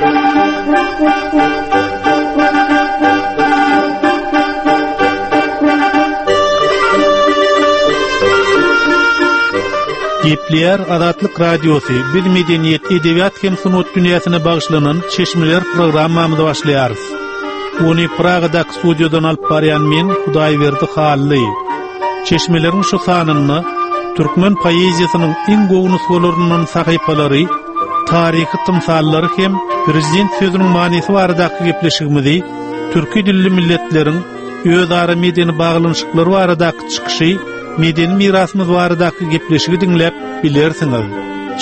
Gepleýär Azatlyk Radiosy, biz medeniýet, edebiýat hem sungat dünýäsine bagyşlanan Çeşmeler programmamyzy başlaýarys. Ony Pragadaky studiýadan alyp barýan men, Hudaýberdi Hally. Çeşmeleriň şu sanynda türkmen poeziýasynyň iň gowy nusgalaryndan sahypalary, taryhy tymsallary hem prezident sözüniň manysy baradaky gepleşigimizi türki dilli milletleriň özara medeni baglanyşyklary baradaky çykyşy, medeni mirasymyz baradaky gepleşigi diňläp bilersiňiz.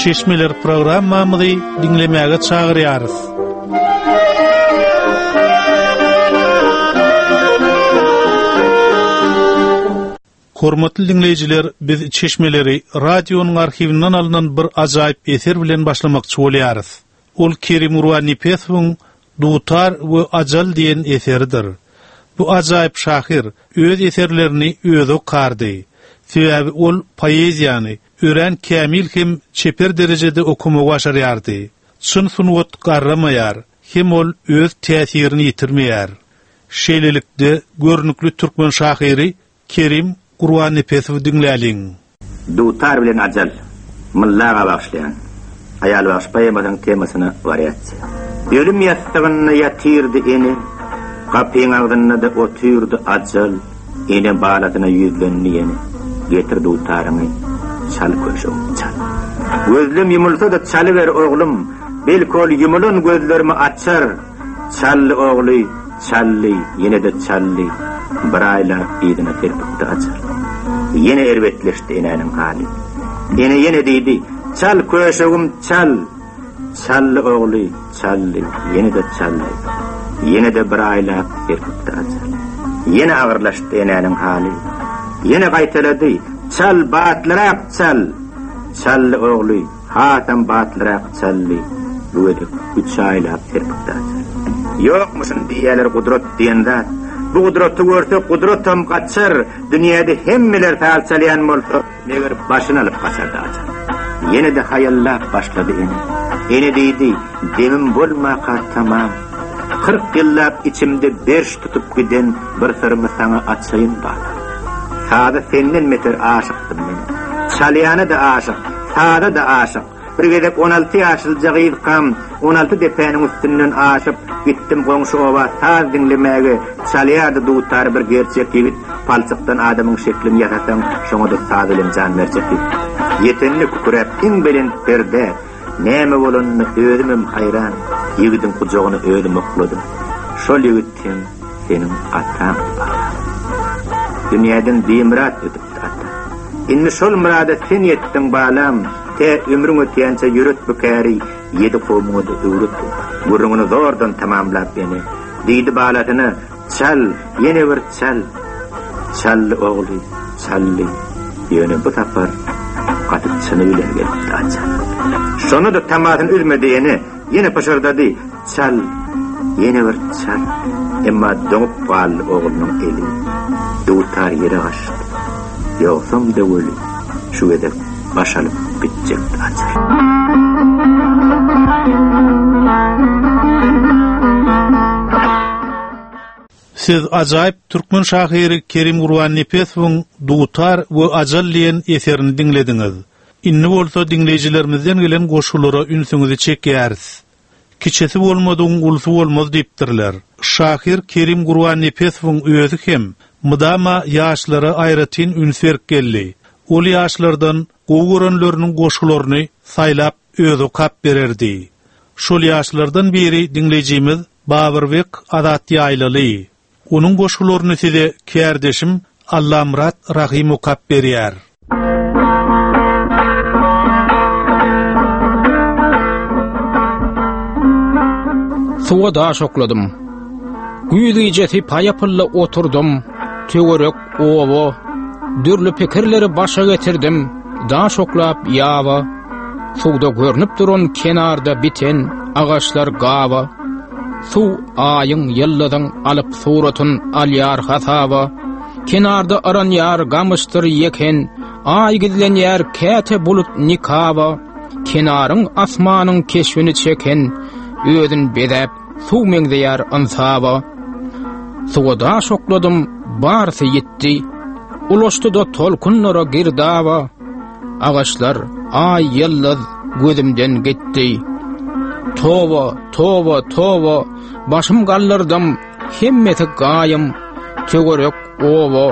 Çeşmeler programmamyzy diňlemäge çagyrýarys. Hormatly diňleýjiler, biz çeşmeleri radionyň arhiwinden alnan bir ajaýyp eser bilen başlamakçy bolýarys. Ol Kerim Gurbannepesowyň Dutar we ajal diýen eseridir. Bu ajaýyp şahyr öz eserlerini özi okardy. Sebäbi ol poeziýany örän kämil hem çeper derejede okamagy başarýardy. Çyn sungat garramaýar, hem ol öz täsirini ýitirmeýär. Şeýlelikde, görnükli türkmen şahyry Kerim Gurbannepesowy diňläliň. Dutar bilen ajal, Mylla aga bagyşlaýan Aýalbagşy poemasynyň temasyna wariasiýa. Ölüm ýassygynda ýatyrdy ene, Gapyň agzynda-da otyrdy ajal, Ene balasyna ýüzlendi ýene, Getir dutaryňy, çal köşegim, çal. Gözlem ýumulsa-da çalyber oglum, Belki ol ýumulan gözlerimi açar, Çaldy ogly, çaldy, ýene-de çaldy, Bir aýlap yzyna serpikdi ajal. Ýene erbetleşdi enäniň haly. Ene ýene diýdi, Çal, köşegim, çal! Çaldy ogly, çaldy, ýene-de çaldy. Ýene-de bir aýlap serpikdi ajal. Ýene agyrlaşdy enäniň haly. Ýene gaýtalady, Çal, batlyrak çal! Çaldy ogly, Hasam batlyrak çaldy, bu gezek üç aýlap serpikdi ajal. Ýokmuşyn diýýäler gudrat diýen zat. Bu gudraty görse gudratam gaçar, dünýäde hemmeler saz çalýan bolsa, meger başyny alyp gaçardy ajal. Ýene-de haýallap başlady ene. Ene diýdi, demim bolmaka tamam. 40 ýyllap içimde berş tutup giden bir syrymy saňa açaýyn balam. Saza senden beter aşykdym men. Çalýana-da aşyk, saza-da aşyk. Bir gezek 16 ýaşlyja gyzkam, 16 depäniň üstünden aşyp, gitdim goňşy oba saz diňlemäge. Çalýardy dutary bir gerçek ýigit, palçykdan adamyň şeklini ýasasaň, şoňa-da saz bilen jan berjek ýigit. Ýetende küküräp iň belent perdä, näme bolanyna özümem haýran, ýigidiň gujagyna özüm okladym. Şol ýigit hem seniň ataňdy balam. Dünýäden bimyrat ötüpdi ata. Indi şol myrada sen ýetdiň balam, tä ömrüň ötýänçä ýöret bu käri, ýedi kowmuňa-da öwret bu. Gürrüňini zordan tamamlap ene, diýdi balasyna, Çal, ýene bir çal. Çaldy ogly, çaldy. Ýöne bu sapar gaty çyny bilen gelipdi ajal. Şonda-da tamasyny üzmedi ene, ýene pyşyrdady, Çal, ýene bir çal. Emma doňup galdy oglunyň eli. Dutar ýere gaçdy. Ýogsam-da weli, şu gezek baş alyp gitjekdi ajal. Siz ajaýyp türkmen şahyry Kerim Gurbannepesowyň Dutar we ajal diýen eserini diňlediňiz. Indi bolsa diňleýjilerimizden gelen goşgulara ünsüňizi çekýäris. Kiçisi bolmadygyň ulusy bolmaz diýipdirler. Şahyr Kerim Gurbannepesowyň özi hem mydama ýaşlara aýratyn üns berip geldi. Ol ýaşlardan gowy görenleriniň goşgularyny saýlap özi okap bererdi. Şol ýaşlardan biri diňleýjimiz Babyrbek Azat Ýaýlaly. Onuň goşgularyny size kärdeşim Allamyrat Rahym okap berýär. Suwa daş okladym. Güýz gijesi paýapylda oturdym. Töwerek, oba, dürli pikirleri başa getirdim. Daş oklap ýaba, suwda görnüp duran kenarda biten agaçlar gaba. Suw aýyň, ýyldyzyň alyp suratyn alýar hasaba. Kenarda yranýar gamyşdyr ýeken, Aý gizlenýär käte bulut nikaba. Kenaryň asmanyň keşbini çeken. Özün bezäp, suw meňzeýär ynsaba. Suwa daş okladym, barysy ýitdi. Ulaşdy-da tolkunlara girdaba. Agaçlar, aý, ýyldyz gözümden gitdi. Toba, toba, toba, başym galdyrdym, hemmesi gaýym. Töwerek, oba,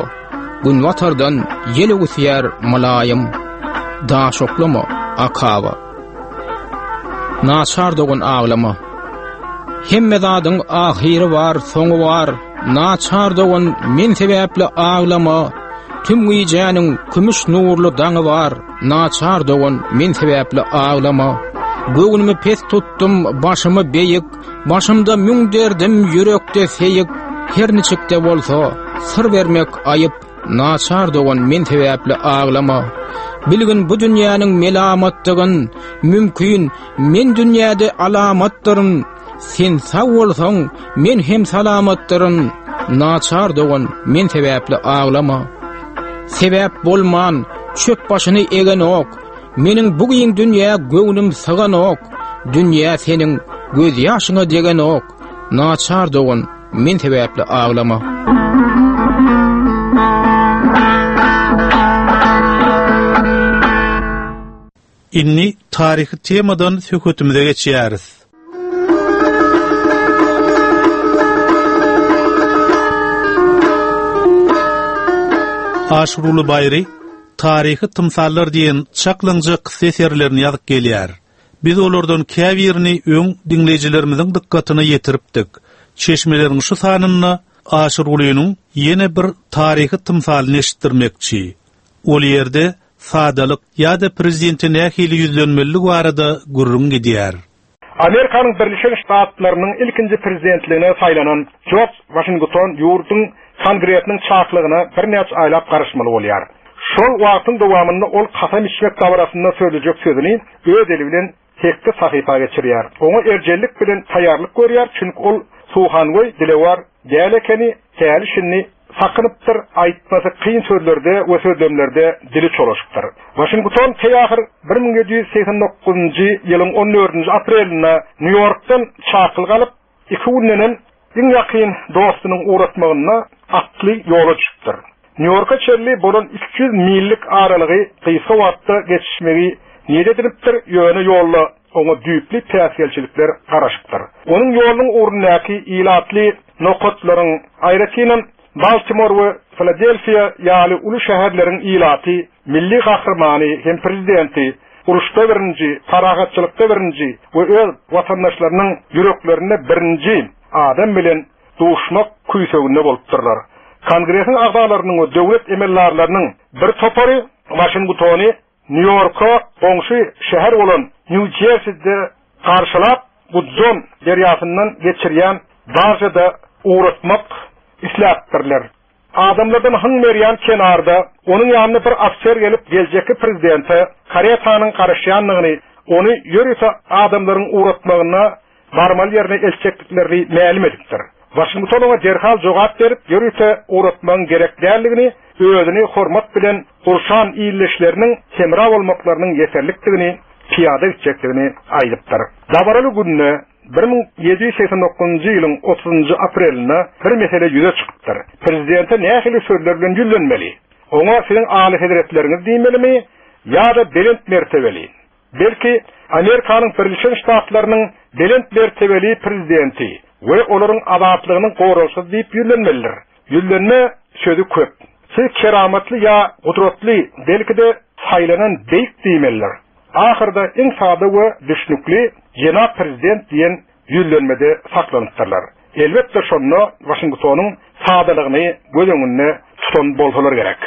günbatardan ýel öwüsýär mylaýym. Daş oklama, akaba. Naçar dogan aglama. Hemme zadyň ahyry bar, soňy bar. Naçar dogan men sebäpli aglama. Tüm gijäniň kümüş nurly daňy bar. Naçar dogan men sebäpli aglama. Göwnümi pes tutdum, başymy beýik. Başymda müň derdim, ýürekde seýik. Her niçik-de bolsa, syr bermek aýyp. Naçar dogan men sebäpli aglama. Bilgin bu dünýäniň melamatdygyn, mümkin men dünýäde alamatdyryn. Sen sag bolsaň, men hem salamatdyryn. Naçar dogan men sebäpli aglama. Sebäp bolman, çöp başyny egenok. Meniň bu giň dünýä göwnüm syganok. Dünýä seniň gözýaşyňa degenok. Naçar dogan Men sebäpli aglama. Indi taryhy temadan söhbetimize geçýäris. Aşyruly Baýry Taryhy tymsallar diýen çaklaňja kyssa eserlerini ýazyp gelýär. Biz olardan käbirini öň diňleýjilerimiziň dykgatyna ýetiripdik. Çeşmeleriň şu sanynda Aşyrgulynyň ýene bir taryhy tymsalyny eşitdirmekçi. Ol ýerde sadalyk ýa-da prezidente nähili ýüzlenmelidigi barada gürrüň gidýär. Amerikanyň Birleşen Ştatlarynyň ilkinji prezidentligine saýlanan Jorj Waşington ýurduň Kongresiniň çakylygyna birnäçe aýlap garaşmaly bolýar. Şol wagtyň dowamynda ol kasam içmek dabarasynda sözlejek sözüni öz eli bilen 8 sahypa geçirýär. Oňa erjellik bilen taýýarlyk görýär, çünki ol suhangöý, dilewar däl ekeni, häli-şindi sakynypdyr, aýtmasy kyn sözlerde we sözlemlerde dili çolaşypdyr. Waşington teý-ahyr 1789-njy ýylyň on dördünji aprelinde Nýu-Ýorkdan çakylyk alyp, iki gündenem iň ýakyn dostunyň ugratmagynda atly ýola düşüpdir. Nýu-Ýorka çenli bolan 300 millik aralygy gysga wagtda geçişmegi niýet edinipdir, ýöne ýolda oňa düýpli päsgelçilikler garaşypdyr. Onuň ýolunyň ugrundaky ilatly nokatlaryň, aýratynam, Baltimor we Filadelfiýa ýaly uly şäherleriň ilaty milli gahrymany hem prezidenti, uruşda birinji, parahatçylykda birinji we öz watandaşlarynyň ýüreklerinde birinji adam bilen duşmak küýseginde bolupdyrlar. Kongresiň agzalarynyň we döwlet emeldarlarynyň bir topary Waşingtony Nýu-Ýorka goňşy şäher bolan Nýu-Jerside garşylap, Gudzon derýasyndan geçirýän baržada ugratmak isläpdirler. Adamlardan hyň berýän kenarda onuň ýanyna bir ofiser gelip, geljekki prezidente karetanyň garaşýandygyny, ony ýörite adamlaryň ugratmagyna barmaly ýerine eltjekdiklerini mälim edipdir. Waşington oňa derhal jogap berip, ýörite ugratmagyň gerek däldigini, özüni hormat bilen gurşan ildeşleriniň hemra bolmaklarynyň ýeterlikdigini, pyýada gitjekdigini aýdypdyr. Dabaraly günde, 1789-njy ýylyň otuzynjy aprelinde bir mesele ýüze çykypdyr. Prezidente nähili sözler bilen ýüzlenmeli? Oňa Siziň Alyhezretleriňiz diýmelimi ýa-da belent mertebeli? Belki, Amerikanyň Birleşen Ştatlarynyň belent mertebeli prezidenti we olaryň azatlygynyň goragçysy diýip ýüzlenmelidir. Ýüzlenme sözi köp. Siz keramatly ýa gudratly, belki-de, saýlanan beýik diýmelidir. Ahyrda iň sada we düşnükli jenap prezident diýen ýüzlenmede saklanypdyrlar. Elbetde, şonda Waşingtonyň sadalygyny göz öňünde tutan bolsalar gerek.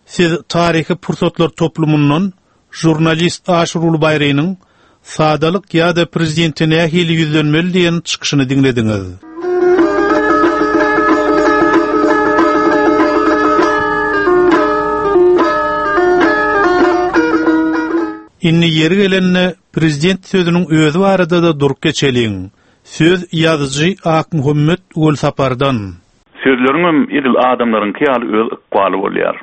Siz Taryhy pursatlar toplumyndan žurnalist Aşyr Baýrynyň Sadalyk ýa-da prezidente nähili ýüzlenmeli diýen çykyşyny diňlediňiz. Indi ýeri gelende prezident sözüniň özi barada-da durup geçeliň. Söz ýazyjy Akmuhammet Welsapardan. Sözleriňem edil adamlaryňky ýaly öz ykbaly bolýar.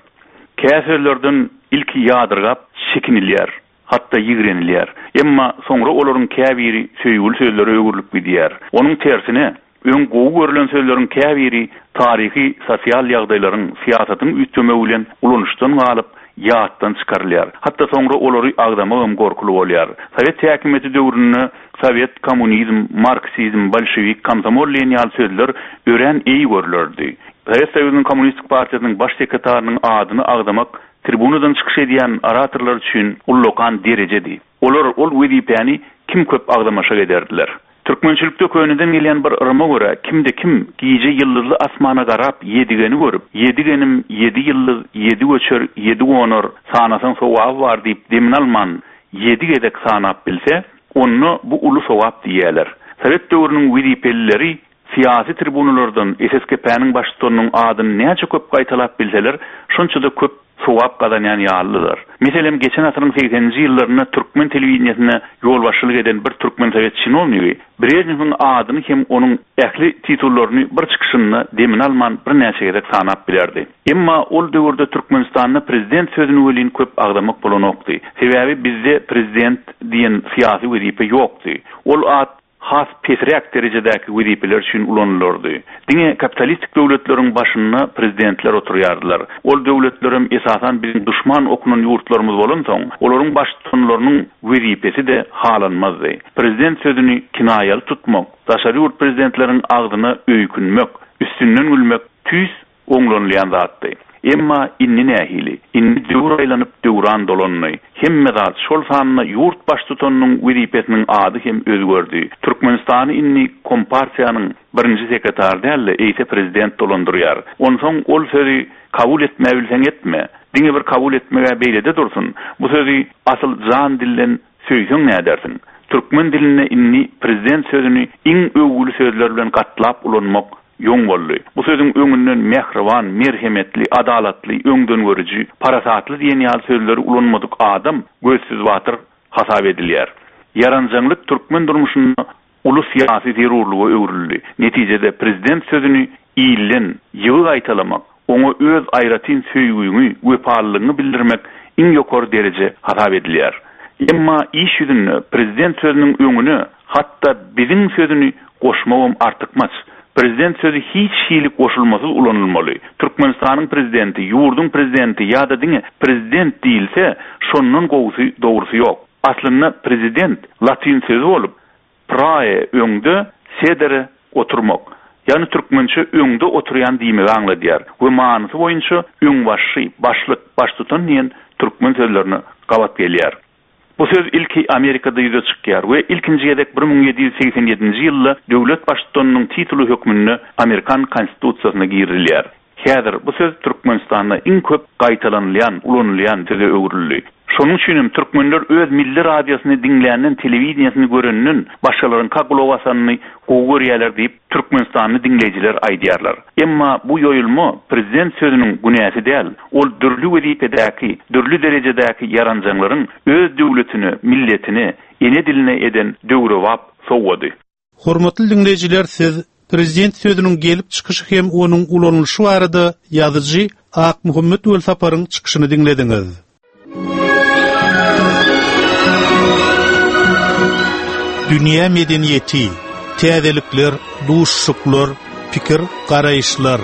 Kä sözlerden ilki ýadyrgap çekinilýär, hatda ýigrenilýär. Emma soňra olaryň käbiri söýgüli sözlere öwrülip gidýär. Onuň tersine, öň gowy görlen sözleriň käbiri taryhy, sosial ýagdaýlaryň, syýasatyň üýtgemegi bilen ulanyşdan galyp, ýatdan çykarylýar. Hatda soňra olary agzamagam gorkuly bolýar. Sowet häkimiýeti döwründe sowet, kommunizm, marksizm, bolşewik, komsomol diýen ýaly sözler örän eý görlerdi. Sowet Soýuzynyň Kommunistik partiýasynyň baş sekretarynyň adyny agzamak tribunadan çykyş edýän oratorlar üçin ullakan derejedi. Olar ol wezipäni kim köp agzamaşak ederdiler. Türkmençilikde köneden gelýän bir yryma görä, kimde-kim gije ýyldyzly asmana garap ýedigeni görüp, Ýedigenim, ýedi ýyldyz, ýedi göçer, ýedi gonar, sanasaň sogaby bar diýip demini alman ýedi gezek sanap bilse, onda bu uly sogap diýýärler. Sowet döwrüniň wezipelileri syýasy tribunalardan SSKP-niň baştutanynyň adyny näçe köp gaýtalap bilseler, şonça-da köp sogap gazanýan ýalydylar. Meselem, geçen asyryň segseninji ýyllarynda türkmen telewideniýesine ýolbaşçylyk eden bir türkmen sowet çinownigi Brežnewiň adyny hem onuň ähli titullaryny bir çykyşynda demini alman birnäçe gezek sanap bilerdi. Emma ol döwürde Türkmenistanda prezident sözüni welin köp agzamak bolanokdy. Sebäbi bizde prezident diýen syýasy wezipe ýokdy. Ol at has pesräk derejedäki wezipeler üçin ulanylardy. Diňe kapitalistik döwletleriň başynda prezidentler oturýardylar. Ol döwletlerem esasan biziň duşman okunan ýurtlarymyz bolansoň, olaryň baştutanlarynyň wezipesi-de halanmazdy. Prezident sözüni kinaýaly tutmak, daşary ýurt prezidentleriň agzyna öýkünmek, üstünden gülmek tüýs oňlanylýan zatdy. Emma indi nähili? Indi döwür aýlanyp, döwran dolandy. Hemme zat, şol sanda ýurt baştutanynyň wezipesiniň ady hem özgerdi. Türkmenistany indi Kompartiýanyň birinji sekretary däl-de, eýse prezident dolandyrýar. Onsoň ol sözi kabul etmäbilseň etme. Diňe bir kabul etmeg-ä beýlede dursun, bu sözi asyl jan-dilden söýseň nädersiň? Türkmen dilinde indi prezident sözüni iň öwgüli sözler bilen gatlap ulanmak ýoň boldy. Bu sözüň öňünden mähriban, merhemetli, adalatly, öňdengörüji, parasatly diýen ýaly sözleri ulanmadyk adam gözsüz batyr hasap edilýär. Ýaranjaňlyk türkmen durmuşynda uly syýasy zerurlyga öwrüldi. Netijede prezident sözüni ilden ýygy gaýtalamak, oňa öz aýratyn söýgüňi, wepalylygyňy bildirmek iň ýokary dereje hasap edilýär. Emma iş ýüzünde prezident sözüniň öňüne hatda biziň sözüni goşmagam artykmaç. Prezident sözi hiç hili goşulmasyz ulanylmaly. Türkmenistanyň prezidenti, ýurduň prezidenti ýa-da diňe prezident diýilse, şondan gowusy, dogrusy ýok. Aslynda prezident latyn sözi bolup, Prae öňde, sedere oturmak, ýagny türkmençe öňde oturýan diýmegi aňladýar we manysy boýunça öňbaşçy, başlyk, baştutan diýen türkmen sözlerine gabat gelýär. Bu söz ilki Amerikada ýüze çykýar we ilkinji gezek 1787-nji ýylda döwlet baştutanynyň tituly hökmünde amerikan konstitusiýasyna girizilýär. Häzir bu söz Türkmenistanda iň köp gaýtalanylýan, ulanylýan söze öwrüldi. Şonuň üçin hem türkmenler öz milli radiosyny diňländen, telewideniýesini görenden başgalaryňka gulak asanyny gowy görýärler diýip, türkmenistanly diňleýjiler aýdýarlar. Emma bu ýoýulma prezident sözüniň günäsi däl, ol dürli wezipedäki, dürli derejedäki ýaranjaňlaryň öz döwletine, milletine, ene diline eden döwrebap sowgady. Hormatly diňleýjiler siz Prezident sözüniň gelip çykyşy hem onuň ulanylyşy barada ýazyjy Akmuhammet Welsaparyň çykyşyny diňlediňiz. Dünýä medeniýeti, täzelikler, duşuşyklar, pikir, garaýyşlar.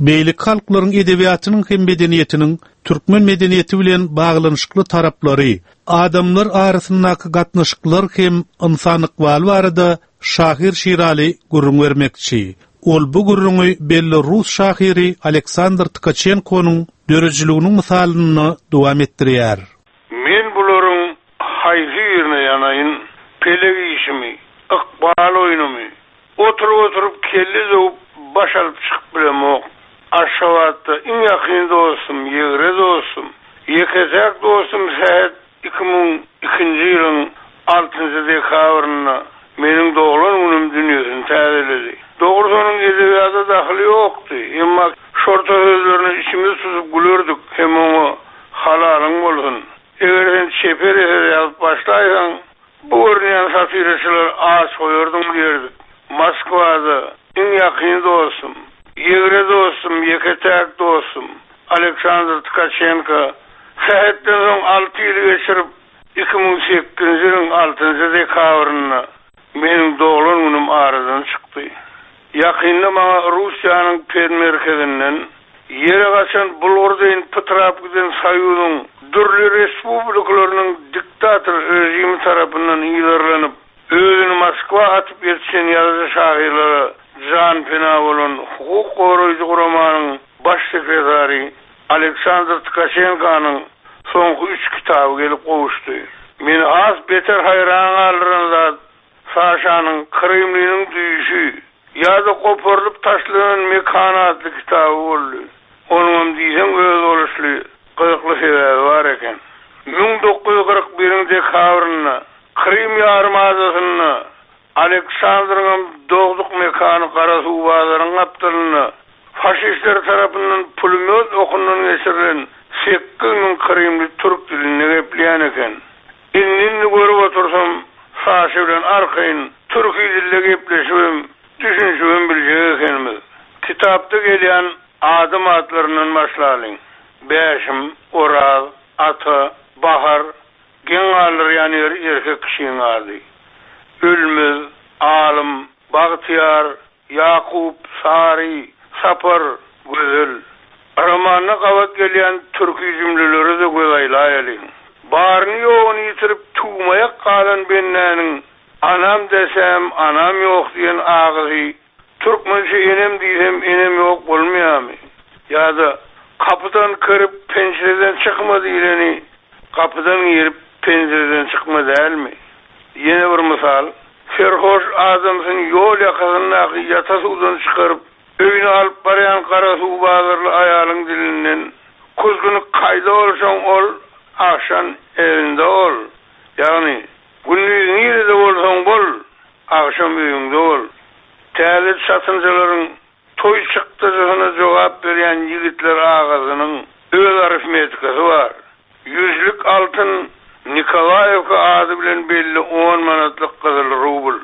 Beýleki halklaryň edebiýatynyň hem medeniýetiniň türkmen medeniýeti bilen baglanyşykly taraplary, adamlar arasyndaky gatnaşyklar hem ynsan ykbaly barada şahyr Şiraly gürrüň bermekçi. Ol bu gürrüňi belli rus şahyry Aleksandr Tkaçenkonyň döredijiliginiň mysalynda dowam etdirýär. Men bularyň haýsy birine ýanaýyn, pelek işimi, ykbal oýnumy, Oturyp-oturyp kelle döwüp baş alyp çykyp bilemok. Aşgabatda iň ýakyn dostum, ýegre dostum, ýeke-täk dostum Sähet 2002-nji ýylyň altynjy dekabrynda meniň doglan günüm dünýesini täzeledi. Dogrusy onuň edebiýata dahyly ýokdy, emma şorta sözlerine içimiz tutup gülerdik hem oňa Halalyň bolsun, eger sen çeper eser ýazyp başlaýsaň, Bu görünýän satiraçylary aç goýardyň diýerdik. Moskwada iň ýakyn dostum, ýegre dostum, ýeke-täk dostum. Aleksandr Tkaçenko sähetden soň alty ýyl geçirip, 2008-nji ýylyň altynjy dekabrynda meniň doglan günüm aradan çykdy. Ýakynda maňa Russiýanyň Perm-merkezinden ýere gaçan bulgur deýin pytrap giden Soýuzyň dürli respublikalarynyň diktator režimi tarapyndan yzarlanyp, özüni Moskwa atyp ýetişen ýazyjy-şahyrlara janpena bolan hukuk goraýjy guramanyň baş sekretary Aleksandr Tkaçenkonyň soňky üç kitaby gelip gowuşdy. Meni has beter haýran galdyran zat Saşanyň Krymlynyň düýşi ýa-da goparylyp taşlanan mekan atly kitaby boldy. Onuňam diýseň özboluşly, gyzykly sebäbi bar eken. 1941-iň dekabrynda Krym ýarym adasynda Aleksandryňam dogduk mekany Garasuwbazaryň gapdalynda faşistler tarapyndan pulemýot okundan geçirilen 8000 krymly türk dilinde gepleýän eken. Indi-indi görüp otursam, Saşa bilen arkaýyn türki dilde gepleşibem, düşünişibem biljek ekenimiz. Kitapda gelýän adam atlaryndan başlalyň. Bäşim, Oraz, Ata, Bahar, geň galdyrýan ýeri erkek kişiň ady. Ölmez, Alym, Bagtyýar, Ýakup, Sary, Sapar, Gözel. Romanda gabat gelýän türki jümlelere-de göz aýlaýalyň. Baryny-ýoguny ýitirip tüwmaýak galan bendäniň Anam desäm, anam ýok diýen agysy türkmençe enem diýsem, enem ýok bolmaýarmy? Ýa-da Gapydan kirip, penjireden çykma diýleni gapydan girip, penjireden çykma dälmi? Ýene bir mysal, Serhoş adamsyny ýol ýakasyndaky ýata suwdan çykaryp, öýüne alyp barýan garasuwbazarly aýalyň dilinden, Kuzguny kaýda bolsaň ol, agşan elinde ol. Ýagny, gündiz nirede bolsaň bol, agşam öýüňde bol. Täze çatynjalaryň toý çykdajysyna jogap berýän ýigitler agasynyň öz arifmetikasy bar. Ýüzlük altyn Nikolaýewka ady bilen belli on manatlyk gyzyl rubl.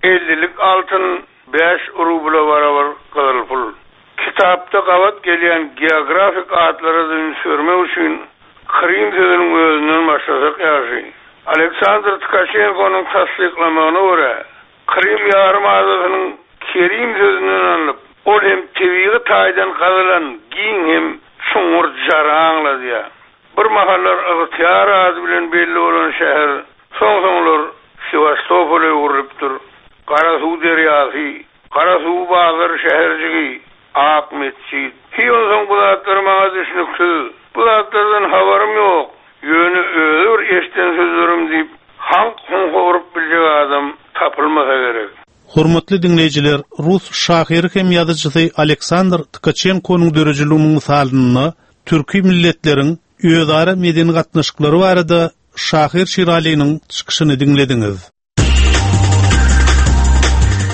Ellilik altyn bäş rubla barabar gyzyl pul. Kitapda gabat gelýän geografik atlara-da üns bermek üçin Krym sözüniň özünden başlasak ýagşy. Aleksandr Tkaçenkonyň tassyklamagyna görä, Krym ýarym adasynyň Kerim sözünden alnyp, ol hem tebigy taýdan gazylan giň hem çuňňur jary aňladýar. Bir mahallar Ygtyýar ady bilen belli bolan şäher soň-soňlar Sewastopola öwrülipdir. Garasuw derýasy, Garasuw bazar şäherjigi, Ak metjit. Hiý onsoň bu zatlar maňa düşnüksiz. Bu zatlardan habarym ýok. Ýöne özi bir eşden sözlerim diýip, haňk-huňka urup biljek adam tapylmasa gerek. Hormatly diňleýjiler, rus şahyry hem ýazyjysy Aleksandr Tkaçenkonyň döredijiliginiň mysalynda türki milletleriň özara medeni gatnaşyklary barada şahyr Şiralynyň çykyşyny diňlediňiz.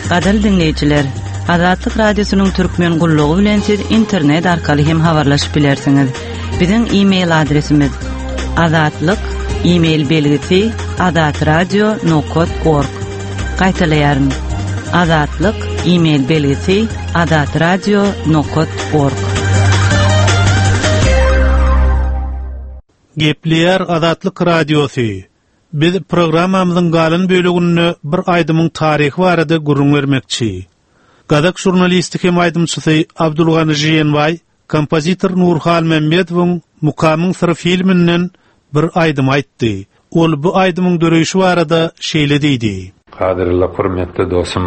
Gadyrly diňleýjiler, Azatlyk Radiosynyň Türkmen gullugy bilen siz internet arkaly hem habarlaşyp bilersiňiz. Biziň e-mail adresimiz azatlyk e-mail belgisi azatradio nokat org. Gaýtalaýaryn. Azatlyk e-mail belgisi azatradio nokat org. Gepleýär Azatlyk Radiosy. Biz programmamyzyň galan böleginde bir aýdymyň taryhy barada gürrüň bermekçi. Gazak žurnalisti hem aýdymçysy Abdulgany Žiýenbaý kompozitor Nurhy Halmämmedowyň Mukamyň syry filminden bir aýdym aýtdy. Ol bu aýdymyň döreýşi barada şeýle diýdi. Gadyrly hormatly dostum,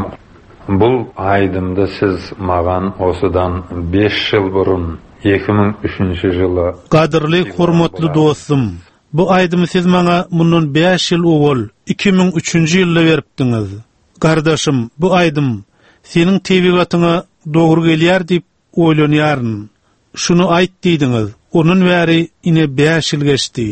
bul aýdymdy siz magan osudan beş ýyl burun, 2003-nji ýyly. Gadyrly hormatly dostum, Bu aýdymy siz maňa mundan bäş ýyl owal, 2003-nji ýylda beripdiňiz. Gardaşym, bu aýdym seniň tebigatyňa dogry gelýär diýip oýlanýaryn. Şuny aýt diýdiňiz. Ondan bäri ine bäş ýyl geçdi.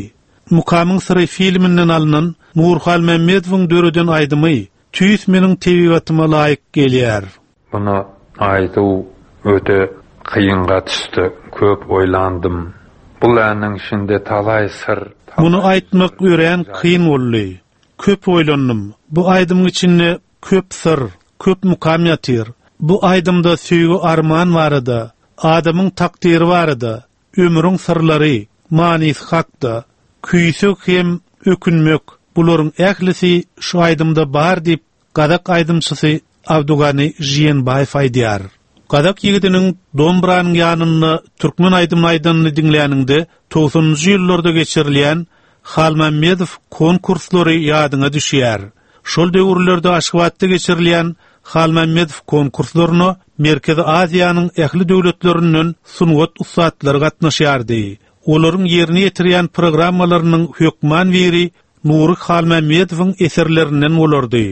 Mukamyň syry filminden alnan Nurhy Halmämmedowyň döreden aýdymy tüýs meniň tebigatyma laýyk gelýär. Muny aýduw öte kynga düşdi, köp oýlandym. Bul äniň içinde talaý syr, talaý Muny aýtmak örän kyn boldy. Köp oýlandym. Bu aýdymyň içinde köp syr, köp mukam ýatyr. Bu aýdymda söýgi-arman barada, adamyň takdyry barada. ömrüň syrlary, manysy hakda, küýseg hem ökünmek, bularyň ählisi şu aýdymda bar diýip, gazak aýdymçysy Abdugani Žiýenbaýew aýdýar. Gazak ýigidiniň dombranyň ýanynda türkmen aýdymyny aýdanyny diňläniňde togsanynjy ýyllarda geçirilýän Halmämmedow konkurslary ýadyňa düşýär. Şol döwürlerde Aşgabatda geçirilýän Halmämmedow konkurslaryna Merkezi Aziýanyň ähli döwletlerinden sungat ussatlary gatnaşýardy. Olaryň ýerine ýetirýän programmalarynyň hökman biri Nury Halmämmedowyň eserlerinden bolardy.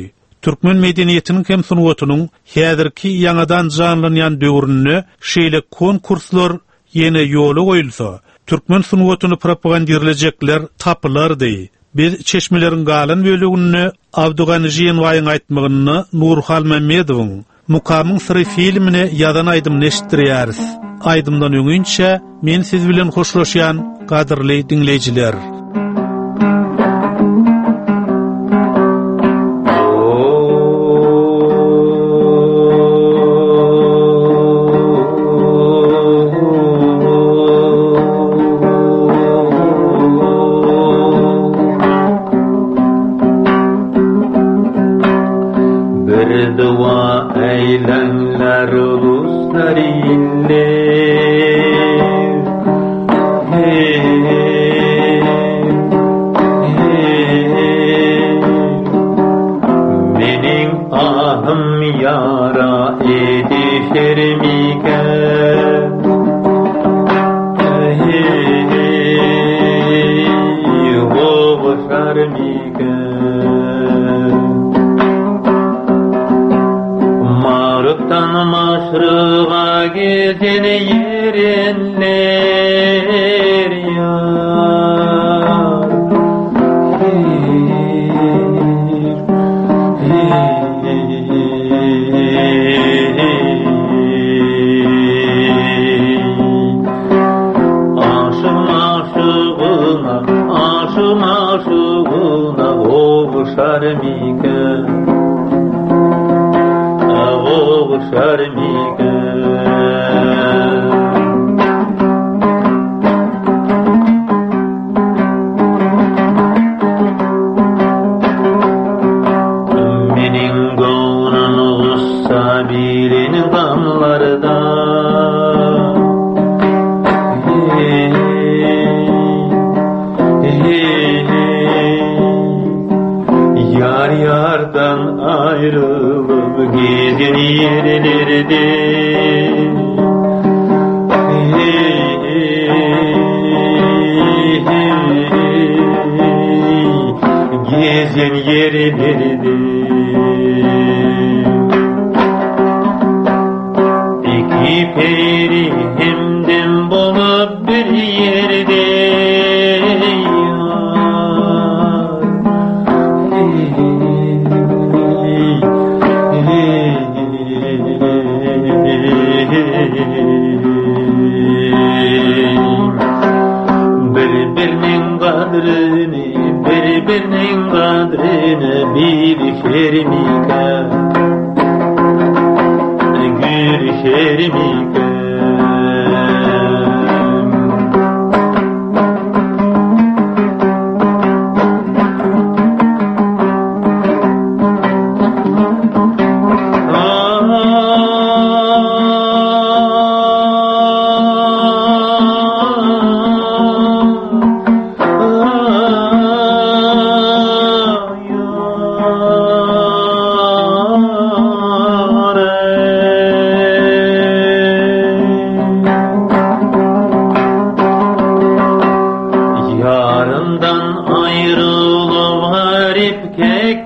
Türkmen medeniýetiniň hem sungatynyň häzirki ýaňadan janlanýan döwründe şeýle konkurslar ýene ýola goýulsa, türkmen sungatyny propagandirlejekler tapylardy. Biz çeşmeleriň galan böleginde Abdygany Žiýenbaýyň aýtmagynda Nury Halmämmedowyň Mukamyň syry filmine ýazan aýdymyny eşitdirýäris. Aýdymdan öňinçä men siz bilen hoşlaşýan gadyrly diňleýjiler. Bir dua eylenler uluslar iller Hey, hey, Menin ahım yara edişer miken Hey, hey, Hoşar miken Marıktan maşrığa gezen yerinler yar Aşım aşığına, aşım aşığına Oğuşar miken, oğuşar miken Meniň göwnüm gussa bilen gamlarda Hey, hey, hey. Yar yardan ayrılıp gezen yerlerde Hey, hey, hey. Gezen yerlerde İki peri hemdem bolup bir yerde yar. Bir-biriniň gadryny, bir-biriniň gadryny bilişer mikä? Gülüşer mikä? Yarından ayrılıp garip kek.